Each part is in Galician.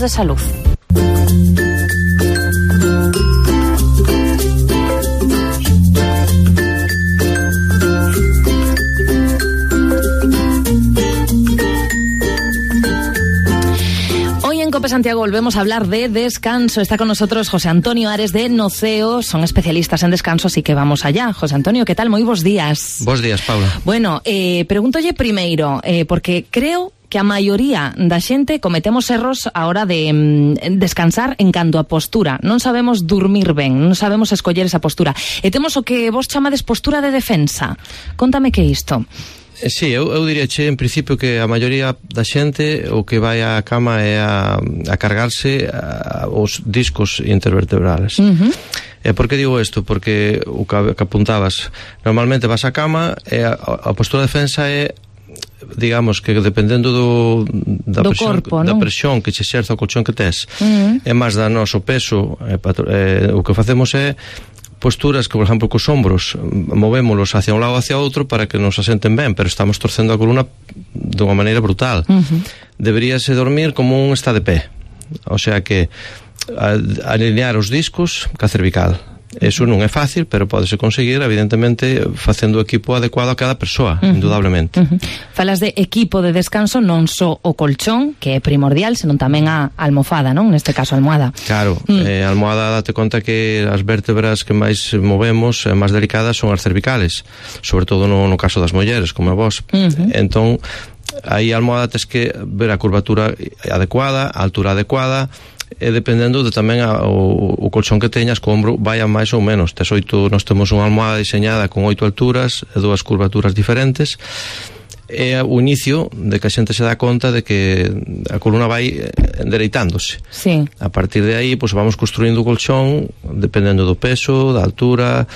de salud. En COPE Santiago volvemos a hablar de descanso. Está con nosotros José Antonio Ares de Noceo. Son especialistas en descanso, así que vamos allá. José Antonio, ¿qué tal? Moi bons días. Bos días, Paula. Bueno, pregúntolle primeiro, porque creo que a maioría da xente cometemos erros a hora de descansar en canto a postura. Non sabemos dormir ben, non sabemos escoller esa postura. E temos o que vos chamades postura de defensa. Contame que é isto. Sí, eu diríache en principio que a maioría da xente o que vai á cama é a cargarse os discos intervertebrales. E por que digo isto? Porque o que apuntabas, normalmente vas á cama e a postura de defensa é, digamos que dependendo da presión, corpo, da presión que che exerza o colchón que tes, é máis da noso peso, o que facemos é posturas que, por exemplo, cos ombros movémolos hacia un lado ou hacia outro para que nos asenten ben, pero estamos torcendo a columna dunha maneira brutal. Deberíase dormir como un está de pé, o sea que alinear os discos ca cervical. Eso non é fácil, pero pódese conseguir, evidentemente, facendo o equipo adecuado a cada persoa, indudablemente. Falas de equipo de descanso, non só o colchón, que é primordial, senón tamén a almofada, non? Neste caso, a almohada. Claro, a almohada date conta que as vértebras que máis movemos, máis delicadas, son as cervicales, sobre todo no caso das mulleres, como a vos. Entón, aí a almohada tes que ver a curvatura adecuada, a altura adecuada, e dependendo de tamén o colchón que teñas, co ombro vaya máis ou menos. Nós temos unha almohada diseñada con 8 alturas e 2 curvaturas diferentes. É o inicio de que a xente se dá conta de que a columna vai endereitándose. Sí. A partir de aí, pues, vamos construindo o colchón dependendo do peso, da altura,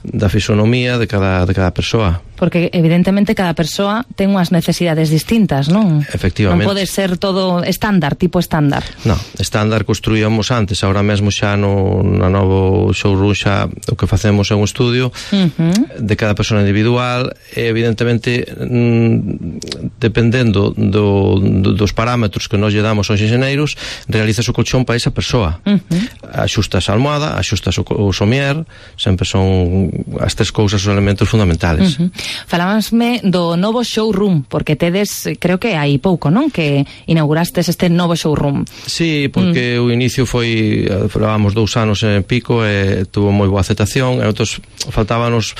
da fisonomía de cada persoa. Porque evidentemente cada persoa ten unhas necesidades distintas, non? Efectivamente. Non pode ser todo estándar, tipo estándar. Non, estándar construíamos antes, agora mesmo xa na novo showroom xa o que facemos é un estudio de cada persona individual e evidentemente dependendo dos parámetros que nos lle damos aos enxeneiros, realizas o colchón para esa persoa. Axustas a almohada, axustas o somier, sempre son as tres cousas os elementos fundamentales. Falábasme do novo showroom, porque tedes, creo que hai pouco, non? Que inaugurastes este novo showroom. Sí, porque o inicio foi, falábamos 2 anos en pico e tuvo moi boa aceptación e outros faltábanos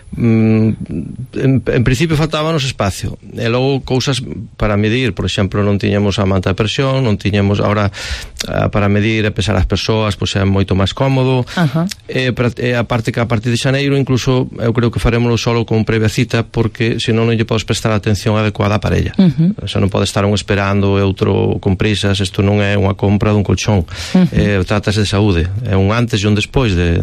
en principio faltábanos espacio e logo cousas para medir, por exemplo, non tiñamos a manta de presión, non tiñamos agora para medir e pesar as persoas, pois é moito máis cómodo. E aparte que a partir de xaneiro incluso eu creo que farémoslo solo con previa cita, porque senón non lle podes prestar a atención adecuada á parella. O sea, non pode estar un esperando e outro con prisas. Isto non é unha compra dun colchón, trátase de saúde, é un antes e un despois de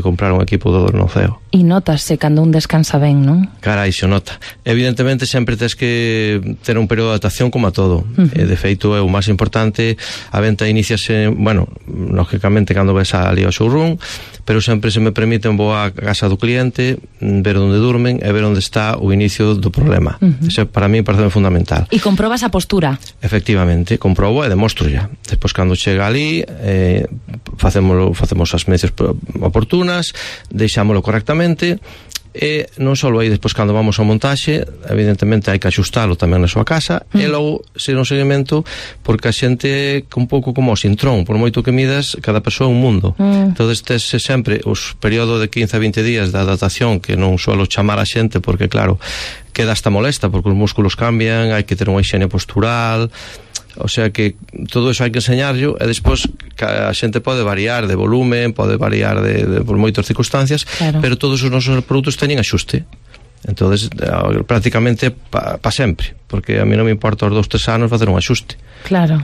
comprar un equipo do Noceo. E notase cando un descansa ben, non? Carai, se nota. Evidentemente sempre tes que ter un período de adaptación como a todo. De feito é o máis importante. A venta iniciase, bueno, lógicamente cando ves ali ao showroom, pero sempre se me permite vou á casa do cliente, ver onde durmen e ver onde está o inicio do problema. Eso para mí parece fundamental. E comprobas a postura? Efectivamente, comprobo e demostro ya. Despois cando chega ali facemos as medidas oportunas, deixámoslo correctamente. E non só aí, despois cando vamos ao montaxe, evidentemente hai que axustalo tamén na súa casa, e logo ser un seguimento, porque a xente é un pouco como o sintrón, por moito que midas, cada persoa é un mundo. Entonces tes sempre os período de 15 a 20 días de adaptación, que non suelo chamar a xente, porque claro, queda hasta molesta, porque os músculos cambian, hai que ter unha higiene postural. O sea que todo eso hai que enseñarlo, e despois a xente pode variar de volumen, pode variar por moitas circunstancias, claro, pero todos os nosos produtos teñen axuste. Entonces, prácticamente pa sempre, porque a mí non me importa os 2-3 anos facer un axuste. Claro.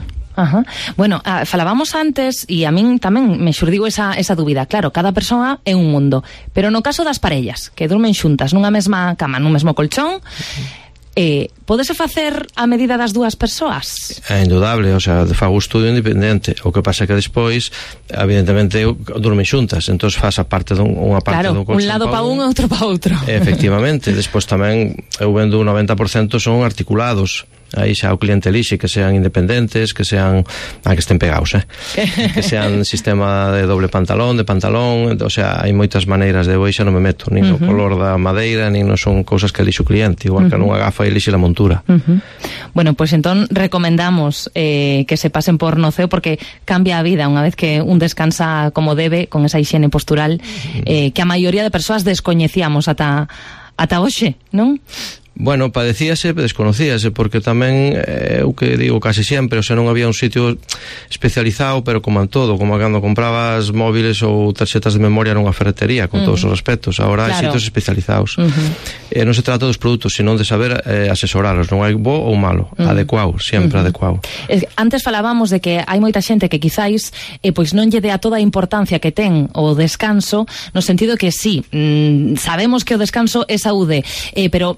Bueno, falábamos antes e a min tamén me xurdiu esa dúbida. Claro, cada persoa é un mundo, pero no caso das parellas que durmen xuntas nunha mesma cama, nun mesmo colchón, podese facer a medida das dúas persoas? É indudable, o sea, fago estudio independente. O que pasa é que despois, evidentemente, durmen xuntas, entón faz a parte unha parte dun colchón, un lado pa un e outro pa outro. Efectivamente, despois tamén eu vendo un 90% son articulados. aí xa o cliente elixe que sean independentes, que sean que estén pegados, que sean sistema de doble pantalón, de pantalón, o sea, hai moitas maneiras de hoxe non me meto, nin no color da madeira, nin non son cousas que elixe o cliente, igual que nunha gafa elixe a montura. Bueno, pues entón recomendamos que se pasen por Noceo porque cambia a vida unha vez que un descansa como debe, con esa higiene postural que a maioría de persoas descoñecíamos ata hoxe, non? Bueno, padecíase, desconocíase, porque tamén o que digo casi sempre, o sea, non había un sitio especializado, pero como en todo, como cando comprabas móviles ou tarxetas de memoria nunha ferretería, con todos os aspectos, agora hai sitios especializados. Non se trata dos produtos, sino de saber asesoralos, non hai bo ou malo, adecuado, sempre adecuado. Antes falábamos de que hai moita xente que quizáis pois non lle dea toda a importancia que ten o descanso, no sentido que sí, sabemos que o descanso é saúde, pero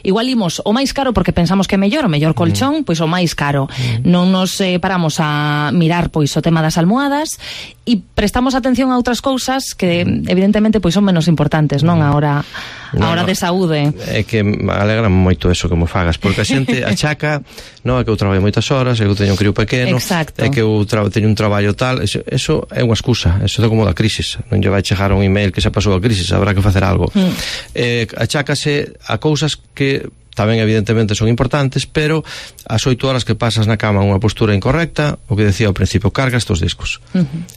igual imos o máis caro porque pensamos que é mellor, o mellor colchón, pois o máis caro. Non nos paramos a mirar pois o tema das almohadas e prestamos atención a outras cousas que evidentemente pois son menos importantes, non? A hora de saúde. É que me alegra moito eso que mo fagas, porque a xente achaca, non, é que eu traballo moitas horas, é que eu teño un crío pequeno, é que eu teño un traballo tal, eso é unha excusa, eso é como da crisis, non lle vai chegar un email que xa pasou a crisis, habrá que facer algo. Achácase a cousas que tamén evidentemente son importantes, pero as 8 horas que pasas na cama unha postura incorrecta, o que decía ao principio, carga estos discos.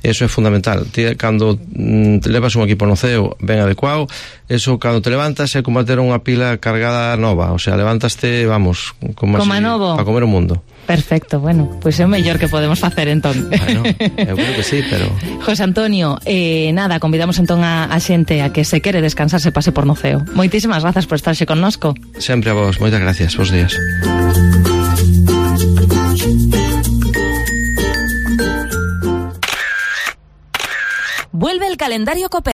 Eso é fundamental. Cando te levas un equipo Noceo ben adecuado, eso cando te levantas é como ter unha pila cargada nova, o sea, levantaste, vamos, como así, para comer o mundo. Perfecto, bueno, pois é o mellor que podemos facer entón. Bueno, eu creo que sí, pero... José Antonio, nada, convidamos entón a xente a que se quere descansar se pase por Noceo. Moitísimas grazas por estarse connosco. Sempre a vos, moitas gracias, bons días. Vuelve el calendario COPE.